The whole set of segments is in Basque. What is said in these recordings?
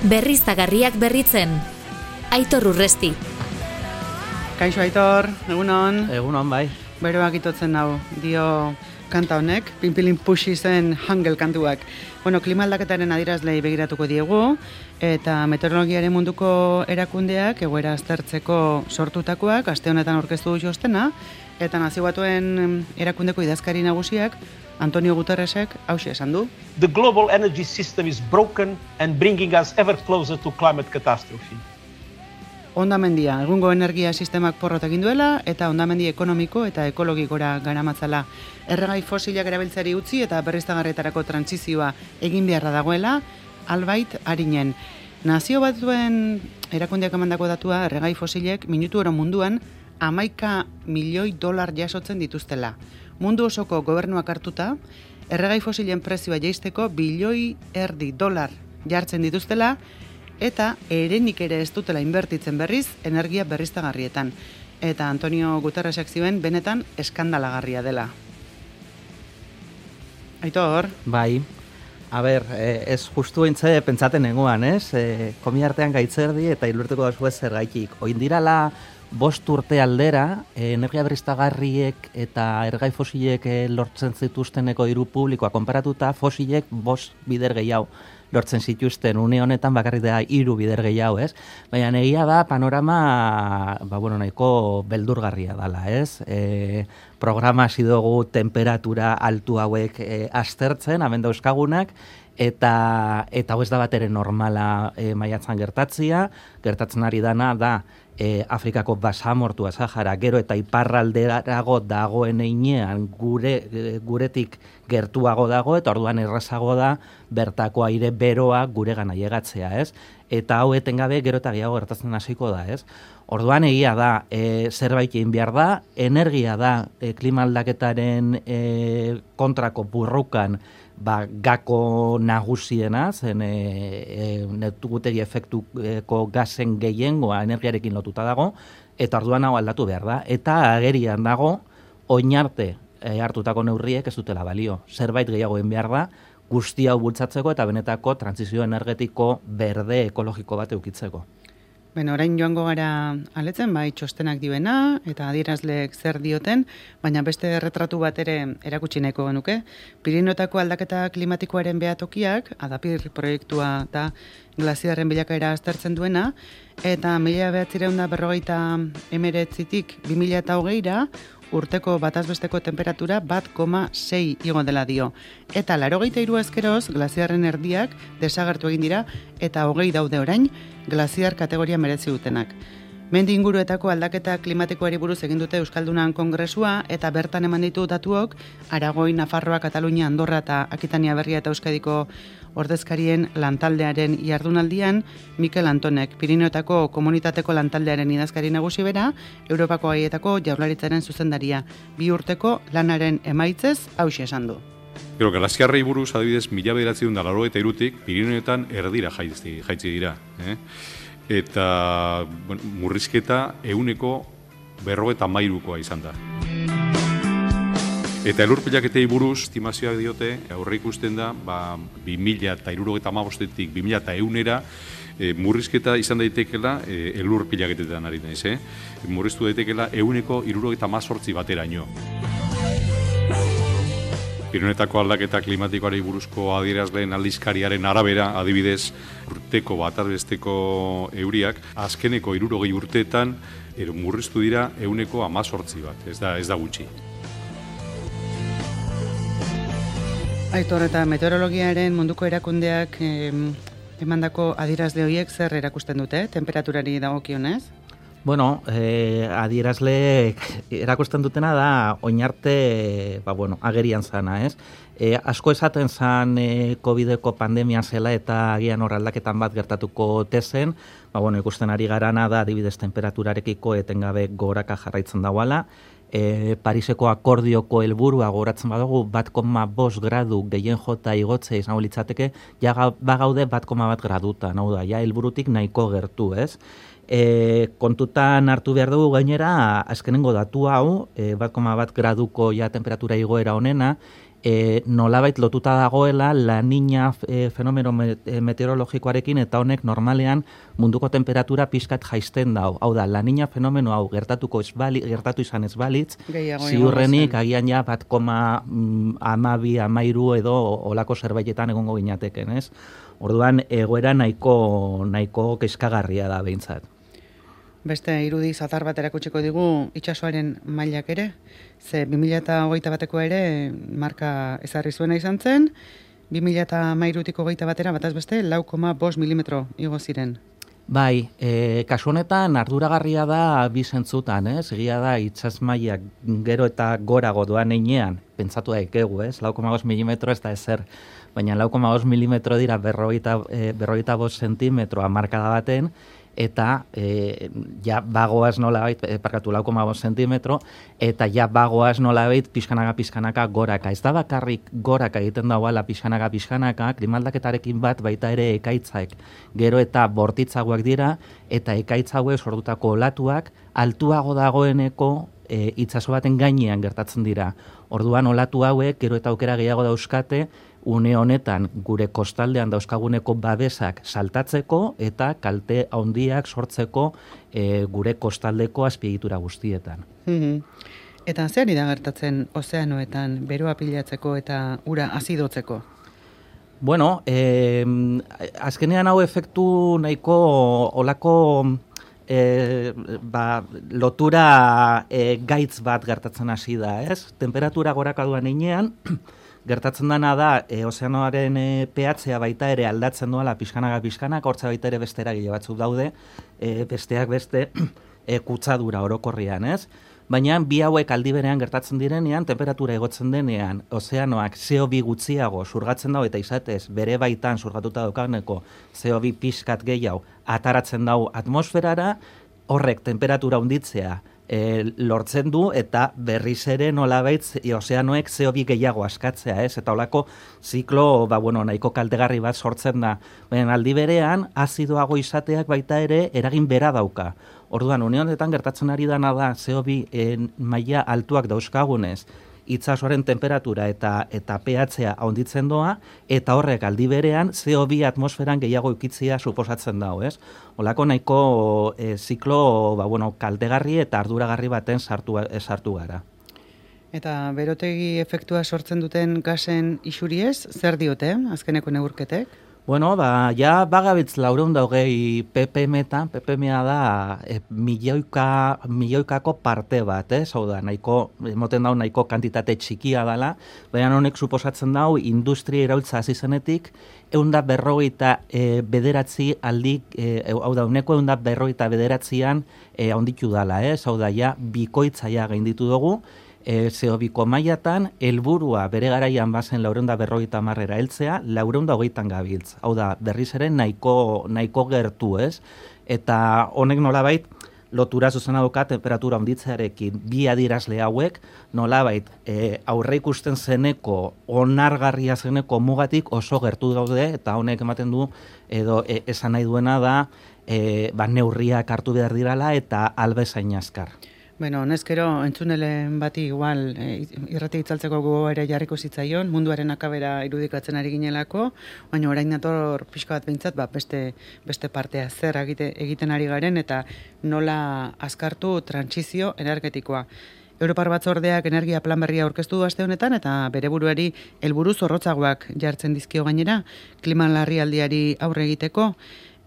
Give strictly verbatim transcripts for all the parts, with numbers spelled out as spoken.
Berriztagarriak berritzen. Aitor Urresti. Kaixo Aitor, egunon. Egunon, bai. Beroak itotzen hau, dio kanta honek, pinpilin puxi zen hangel kantuak. Bueno, klima aldaketaren adierazlei begiratuko diegu, eta meteorologiaren munduko erakundeak egoera aztertzeko sortutakoak, aste honetan aurkeztu du txostena, eta Nazio Batuen erakundeko idazkari nagusiak, Antonio Guterresek hauxe esan du. The global energy system is broken and bringing us ever closer to climate catastrophe. Hondamendia, egungo energia sistemak porrot egin duela, eta hondamendi ekonomiko eta ekologikora garamatzala. Erregai fosilak erabiltzari utzi eta berriztagarrietarako trantsizioa egin beharra dagoela, albait arinen. Nazio Batuen erakundeak emandako datua, erregai fosilek minutu oro munduan hamaika milioi dolar jasotzen dituztela. Mundu osoko gobernuak hartuta, erregai fosilen prezioa jaisteko bilioi erdi dolar jartzen dituztela, eta erenik ere ez dutela inbertitzen berriz energia berriztagarrietan. Eta Antonio Guterresek zioen benetan eskandalagarria dela. Aitor? Bai. A ber, ez justu entze pentsaten nengoan, ez? E, komi artean gaitzerdi eta ilurteko dazu ez zergaitik. Oin dirala bost urte aldera, energia berriztagarriek eta ergai fosilek lortzen zituzteneko diru publikoa konparatuta, fosilek bost bider gehiago lortzen zituzten, une honetan bakarrik da hiru bider gehiago, ez? Baina egia da panorama, ba, bueno, nahiko beldurgarria dala, ez? E, programa hasi dugu temperatura altu hauek e, aztertzen, hemen dauzkagunak, eta eta hau ez da batere normala e, maiatzan gertatzia, gertatzen ari dana da E, Afrikako basamortua Sahara gero eta iparralderago dagoen einean gure, e, guretik gertuago dago eta orduan errazago da bertako aire beroa gure gana llegatzea, ez? Eta hau etengabe gero eta gehiago gertatzen hasiko da, ez? Orduan egia da, e, zerbait egin behar da, energia da e, klima aldaketaren e, kontrako burrukan ba, gako nagusiena, zen e, e, netugutegi efektuko gazen gehiengoa energiarekin lotuta dago, eta orduan hau aldatu behar da. Eta agerian dago, oinarte e, hartutako neurriek ez dutela balio. Zerbait gehiago egin behar da, guzti hau bultzatzeko eta benetako trantsizio energetiko berde ekologiko bat eukitzeko. Beno, orain joango gara aletzen, bai txostenak dioena, eta adierazleek zer dioten, baina beste erretratu bat ere erakutsi nahiko genuke. Pirinotako aldaketa klimatikoaren behatokiak, Adapir proiektua da glaziarren bilakaera aztertzen duena, eta mila behatzireun da berrogeita emeretzitik bi mila eta hogeira, urteko batazbesteko temperatura bat koma sei igo dela dio. Eta laurogeita hiru ezkeroz, glaziarren erdiak desagertu egin dira, eta hogei daude orain, glaziar kategoria merezi dutenak. Mendi inguruetako aldaketa klimatikoari buruz egin dute Euskaldunan kongresua, eta bertan eman ditu datuok, Aragoi, Nafarroa, Katalunia, Andorra eta Akitania Berria eta Euskadiko ordezkarien lantaldearen jardunaldian, Mikel Antonek, Pirinotako komunitateko lantaldearen idazkari nagusi bera, Europako gaietako jaurlaritzaren zuzendaria, bi urteko lanaren emaitzez hauxe esan du. Gero, glaziarrei buruz, adibidez, mila bederatziehun eta laurogeita hirutik, Pirinioetan erdira jaitzi, jaitzi dira. Eh? Eta bueno, murrizketa ehuneko berrogeita hamairukoa izan da. Eta elurpilaketei buruz, estimazioak diote, aurre ikusten da, ba, bi mila eta hirurogeita hamabostetik bi mila eta ehunera, e, murrizketa izan daitekela e, elurpilaketetan ari naiz, eh? Murriztu daitekela ehuneko hirurogeita hamazortzi bateraino. Pirinioetako aldaketa klimatikoari buruzko adierazleen aldizkariaren arabera, adibidez, urteko batazbesteko euriak, azkeneko hirurogei urteetan er, murriztu dira ehuneko hamazortzi bat, ez da, ez da gutxi. Aitor, eta meteorologiaren munduko erakundeak eh, emandako adierazle horiek zer erakusten dute, temperaturari dagokionez? Bueno, eh, adierazle erakusten dutena da oinarte, ba, bueno, agerian zana, ez? E, asko esaten zan e, COVIDeko pandemia zela eta agian hor aldaketan bat gertatuko tezen, ba, bueno, ikusten ari garana da adibidez temperaturarekiko etengabe goraka jarraitzen dagoala. E, Pariseko akordioko helburua goratzen badugu bat koma bost gradu gehien jota igotzea izango litzateke, ja bagaude bat koma bat graduta, hau da, ja helburutik nahiko gertu, ez? E, kontutan hartu behar dugu gainera azkenengo datu hau, e, bat koma bat graduko ja temperatura igoera honena, e, nolabait lotuta dagoela La Niña e, fenomeno meteorologikoarekin, eta honek normalean munduko temperatura pixkat jaisten dau. Hau da, La Niña fenomeno hau gertatuko ez bali, gertatu izan ez balitz, ziurrenik agian ja bat koma amabi, amairu edo olako zerbaitetan egongo ginateken, ez? Orduan, egoera nahiko, nahiko kezkagarria da behintzat. Beste irudi zatar bat erakutsiko digu itsasoaren mailak ere, ze bi mila hogeita bateko ere marka ezarri zuena izan zen, bi mila hamairutik hogeita batera bataz beste lau koma bost milimetro igo ziren. Bai, e, kasu honetan arduragarria da bi zentzutan, ez? Egia da itsas mailak gero eta gorago doan heinean, pentsatu daikegu, ez? lau koma bost milimetro ez da ezer, baina lau koma bost milimetro dira berrogeita, e, berrogeita bost zentimetro hamarkada baten, eta e, ja bagoaz nolabait, e, parkatu lau koma bost zentimetro, eta ja bagoaz nolabait pixkanaka pixkanaka goraka. Ez da bakarrik goraka egiten dagoela pixkanaka pixkanaka, klimaldaketarekin bat baita ere ekaitzak gero eta bortitzagoak dira, eta ekaitzauek sortutako olatuak altuago dagoeneko e, itsaso baten gainean gertatzen dira. Orduan olatu hauek gero eta aukera gehiago dauzkate, une honetan gure kostaldean dauzkaguneko babesak saltatzeko eta kalte handiak sortzeko e, gure kostaldeko azpiegitura guztietan. Mm-hmm. Eta zer da gertatzen ozeanoetan beroa pilatzeko eta ura azidotzeko? Bueno, e, azkenean hau efektu nahiko olako e, ba, lotura e, gaitz bat gertatzen hasi da, ez? Temperatura gorakaduan heinean, gertatzen dana da, e, ozeanoaren e, pH-a baita ere aldatzen doala pixkanaka pixkanaka, hortza baita ere beste eragile batzuk daude, e, besteak beste e, kutsadura orokorrian, ez? Baina bi hauek aldi berean gertatzen direnean, temperatura igotzen denean, ozeanoak C O bi gutxiago surgatzen dau eta izatez bere baitan surgatuta daukaneko C O bi pixkat gehiago ataratzen dau atmosferara, horrek temperatura handitzea E, lortzen du eta berriz ere nolabait ozeanoek C O bi gehiago askatzea, ez? Eta holako ziklo, ba, bueno, nahiko kaltegarri bat sortzen da. Baina aldi berean, azidoago izateak baita ere eragin bera dauka. Orduan, une honetan gertatzen ari dana da C O bi e, maila altuak dauzkagunez, itsasoaren temperatura eta eta pH-a handitzen doa, eta horrek aldi berean C O bi atmosferan gehiago ukitzea suposatzen dago, ez? Olako nahiko e, ziklo, ba, bueno, kaltegarri eta arduragarri baten sartu, e, sartu gara. Eta berotegi efektua sortzen duten gasen isuriez, zer diote, azkeneko neurketek? Bueno, ba, ja bagabitz laurehun da hogei ppm-etan, ppm-a da e, milioika, milioikako parte bat, ez? Hau da, nahiko, emoten dau nahiko kantitate txikia dela, baina honek suposatzen dau industria iraultza hasi zenetik, ehun da berrogeita e, bederatzi aldik, e, hau da, uneko ehun da berrogeita bederatzian e, handitu dala, ez? Hau da, ja, bikoitza ja gainditu dugu, E, C O biko mailatan, helburua bere garaian bazen laurehun da berrogeita hamarrera heltzea, laurehun da hogeitan gabiltz. Hau da, berriz ere nahiko, nahiko gertu, ez? Eta honek nolabait, lotura zuzena duka temperatura handitzearekin bi adierazle hauek, nolabait, e, aurre ikusten zeneko, onargarria zeneko mugatik oso gertu daude, eta honek ematen du, edo e, esan nahi duena da, e, ba, neurriak hartu behar dirala eta albezain azkar. Bueno, neskero, entzunelen bati igual e, irrati itzaltzeko gogo ere jarriko zitzaion, munduaren akabera irudikatzen ari ginelako, baina orain dator pixka bat behintzat, ba, beste, beste partea zer egite, egiten ari garen eta nola azkartu trantsizio energetikoa. Europar Batzordeak energia plan berria aurkeztu du aste honetan eta bere buruari helburu zorrotzagoak jartzen dizkio gainera, klima larrialdiari aurre egiteko,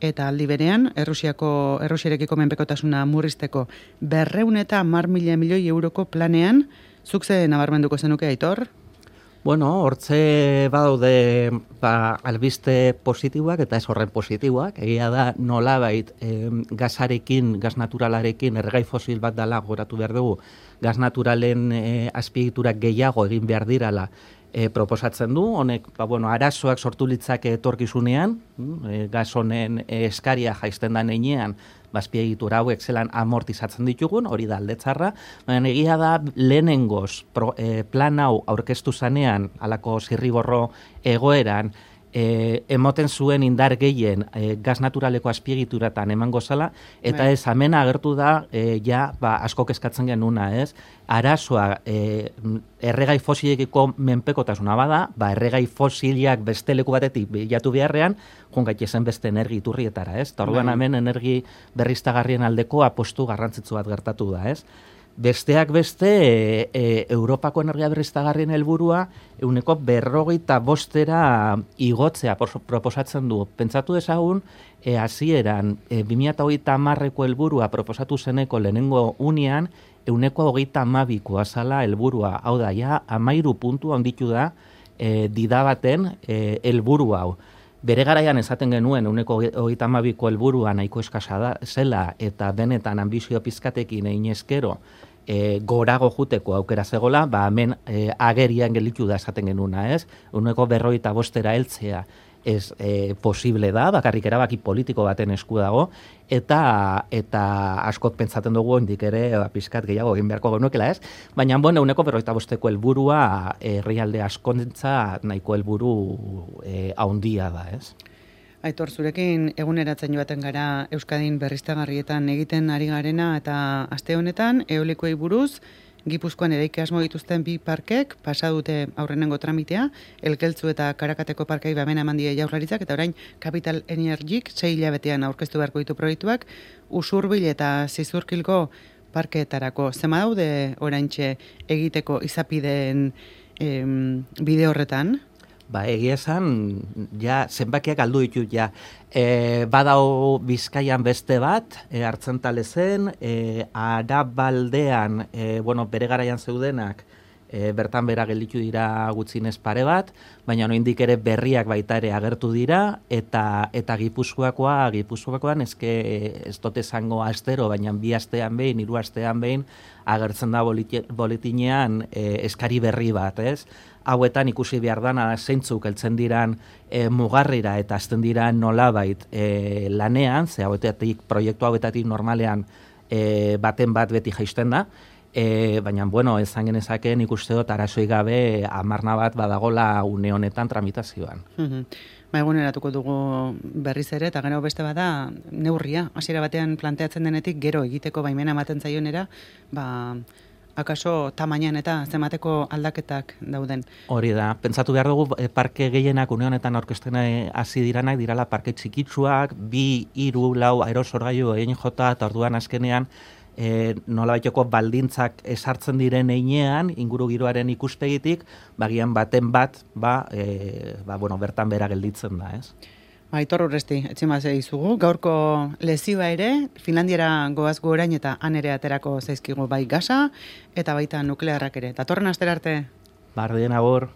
eta aldi berean, Errusiako, Errusiarekiko menpekotasuna murrizteko berrehun eta hamar mila milioi euroko planean, zuk ze nabarmenduko zenuke, Aitor? Bueno, hortze badaude ba, albiste positiboak eta ez horren positiboak. Egia da nolabait eh, gasarekin, gas naturalarekin, erregai fosil bat dela goratu behar dugu, gas naturalen eh, azpiegiturak gehiago egin behar dirala, E, proposatzen du, honek, ba, bueno, arazoak sortu litzake etorkizunean, e, gas honen e, eskaria jaisten da neinean, bazpiegitura hauek zelan amortizatzen ditugun, hori da aldetzarra, baina egia da lehenengoz pro, e, plan hau aurkeztu zanean, alako zirriborro egoeran, e, emoten zuen indar gehien e, gaz naturaleko azpiegituratan emango zala, eta Bai. ez hemen agertu da e, ja ba, asko kezkatzen genuna, ez? Arazoa e, erregai fosilekiko menpekotasuna bada, ba, erregai fosilak beste leku batetik bilatu beharrean, joan gaitezen beste energi iturrietara, ez? Ta orduan Bai. hemen energi berriztagarrien aldeko apostu garrantzitsu bat gertatu da, ez? Besteak beste, e, e, Europako energia berriztagarrien helburua euneko berrogeita bostera igotzea pos- proposatzen du. Pentsatu ezagun, e, hasieran e, bi mila hogeita hamarreko helburua proposatu zeneko lehenengo unean, euneko hogeita hamabikoa zala helburua. Hau da, ja, amairu puntu handitu da e, dida baten e, helburu hau. Bere garaian esaten genuen euneko hogeita hamabiko helburua nahiko eskasa da zela eta benetan ambizio pizkatekin egin eskero e, gorago juteko aukera zegola, ba hemen e, agerian gelditu da esaten genuna, ez? Euneko berrogeita bostera heltzea ez e, posible da, bakarrik erabaki politiko baten esku dago, eta eta askot pentsatzen dugu indik ere ba, pizkat gehiago egin beharko genuekela, ez? Baina, bueno, euneko berrogeita bosteko helburua herrialde askontza nahiko helburu e, haundia da, ez? Aitor, zurekin eguneratzen joaten gara Euskadin berriztagarrietan egiten ari garena, eta aste honetan eolikoei buruz Gipuzkoan eraiki asmo dituzten bi parkek pasa dute aurrenengo tramitea, Elkeltzu eta Karakateko parkei babena eman die Jaurlaritzak, eta orain Capital Energik sei hilabetean aurkeztu beharko ditu proiektuak, Usurbil eta Zizurkilgo parkeetarako. Zema daude oraintxe egiteko izapideen em, bide horretan? Ba, egia esan, ja, zenbakiak aldu ditut, ja. E, badao Bizkaian beste bat, e, Artzentalezen, e, Arabaldean, e, bueno, bere garaian zeudenak, e, bertan bera gelditu dira gutzinez pare bat, baina oraindik ere berriak baita ere agertu dira, eta eta Gipuzkoakoa, Gipuzkoakoan eske ez dut esango astero, baina bi astean behin, hiru astean behin, agertzen da boliti, boletinean e, eskari berri bat, ez? Hauetan ikusi behar dana zeintzuk heltzen diran e, mugarrira eta azten diran nolabait e, lanean, ze hauetatik, proiektu hauetatik normalean e, baten bat beti jaisten da, e, baina, bueno, ezan genezakeen ikuste dut arazoi gabe amarna bat badagola une honetan tramitazioan. Mhm. Ba, eguneratuko dugu berriz ere, eta gero beste bada neurria, hasiera batean planteatzen denetik gero egiteko baimena ematen zaionera, ba, akaso tamainan eta zemateko aldaketak dauden. Hori da, pentsatu behar dugu e, parke gehienak une honetan aurkezten hasi diranak dirala parke txikitsuak, bi, hiru, lau aerosorgailu egin jota, eta orduan azkenean e, nolabaiteko baldintzak esartzen diren einean, inguru giroaren ikuspegitik, bagian baten bat, ba, e, ba, bueno, bertan bera gelditzen da, ez? Aitor Urresti, etximazea izugu, gaurko lezioa ere, Finlandiara goaz gu orain eta han ere aterako zaizkigu bai gasa, eta baita nuklearrak ere. Datorren astera arte. Bardien agor.